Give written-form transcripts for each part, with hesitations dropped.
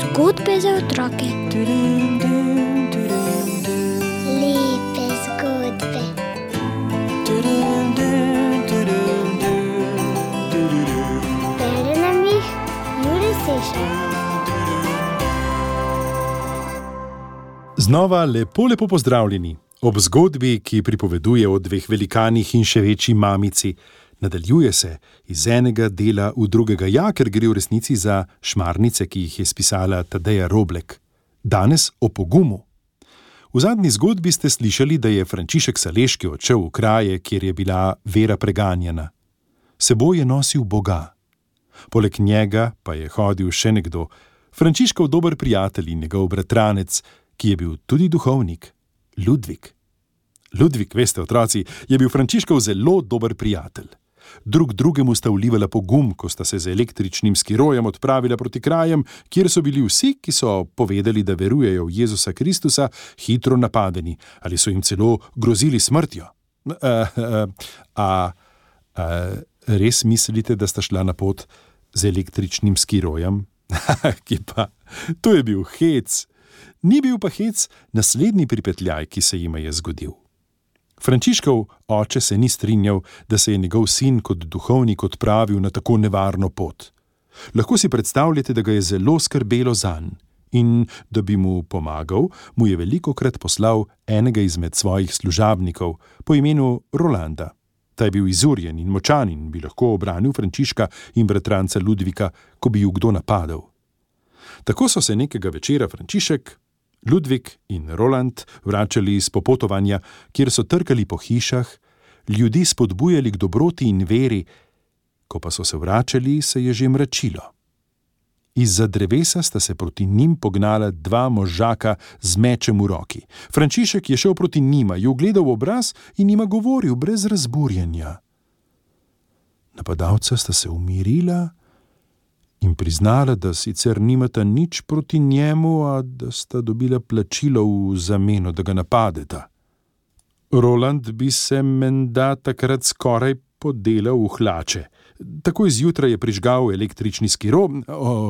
Zgodbe za otroke. Lepe zgodbe. Bere nam jih Jure Sešar. Znova lepo pozdravljeni. Ob zgodbi, ki pripoveduje o dveh velikanih in še večji mamici, nadaljuje se iz enega dela v drugega, ker gre v resnici za šmarnice, ki jih je spisala Tadeja Roblek. Danes o pogumu. V zadnji zgodbi ste slišali, da je Frančišek Saleški odšel v kraje, kjer je bila vera preganjana. Seboj je nosil Boga. Poleg njega pa je hodil še nekdo, Frančiškov dober prijatelj in njegov bratranec, ki je bil tudi duhovnik, Ludvik. Ludvik, veste, otroci, je bil Frančiškov zelo dober prijatelj. Drug drugemu sta vlivala pogum, ko sta se z električnim skirojem odpravila proti krajem, kjer so bili vsi, ki so povedali, da verujejo v Jezusa Kristusa, hitro napadeni ali so jim celo grozili smrtjo. Res mislite, da sta šla na pot z električnim skirojem? Kje pa? To je bil hec. Ni bil pa hec naslednji pripetljaj, ki se jima je zgodil. Frančiškov oče se ni strinjal, da se je njegov sin kot duhovnik odpravil na tako nevarno pot. Lahko si predstavljate, da ga je zelo skrbelo zanj in, da bi mu pomagal, mu je velikokrat poslal enega izmed svojih služabnikov po imenu Rolanda. Ta je bil izurjen in močan in bi lahko obranil Frančiška in bratranca Ludvika, ko bi ju kdo napadel. Tako so se nekega večera Frančišek, Ludvik in Roland vračali iz popotovanja, kjer so trkali po hišah, ljudi spodbujali k dobroti in veri, ko pa so se vračali, se je že mračilo. Izza drevesa sta se proti njim pognala dva možaka z mečem v roki. Frančišek je šel proti njima, ju gledal v obraz in njima govoril brez razburjenja. Napadalca sta se umirila in priznala, da sicer nimata nič proti njemu, a da sta dobila plačilo v zameno, da ga napadeta. Roland bi se menda takrat skoraj podelal v hlače. Takoj zjutraj je prižgal električni skiro,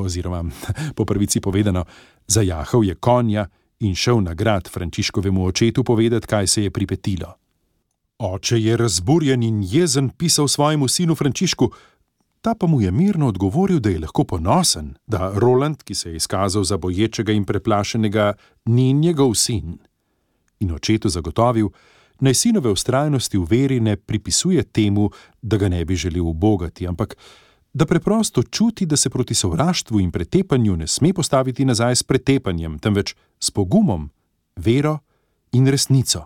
oziroma, po pravici povedano, zajahal je konja in šel na grad Frančiškovemu očetu povedati, kaj se je pripetilo. Oče je razburjen in jezen pisal svojemu sinu Frančišku, ta pa mu je mirno odgovoril, da je lahko ponosen, da Roland, ki se je izkazal za boječega in preplašenega, ni njegov sin. In očetu zagotovil, naj sinove vztrajnosti v veri ne pripisuje temu, da ga ne bi želel ubogati, ampak da preprosto čuti, da se proti sovraštvu in pretepanju ne sme postaviti nazaj s pretepanjem, temveč s pogumom, vero in resnico.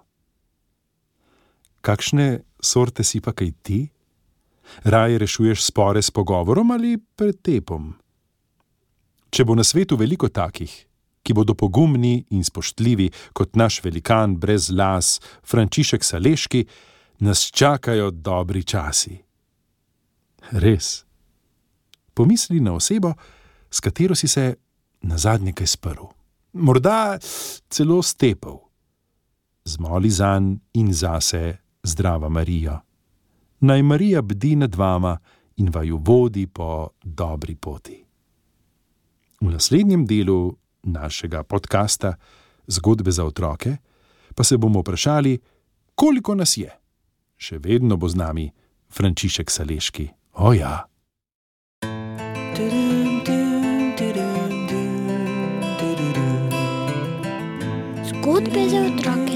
Kakšne sorte si pa kaj ti? Raje rešuješ spore s pogovorom ali pretepom? Če bo na svetu veliko takih, ki bodo pogumni in spoštljivi kot naš velikan brez las, Frančišek Saleški, nas čakajo dobri časi. Res. Pomisli na osebo, s katero si se nazadnje kaj sprl. Morda celo stepel. Zmoli zanj in zase, zdrava Marija. Naj Marija bdi nad vama in vaju vodi po dobri poti. V naslednjem delu našega podcasta Zgodbe za otroke pa se bomo vprašali, koliko nas je. Še vedno bo z nami Frančišek Saleški. O ja! Zgodbe za otroke.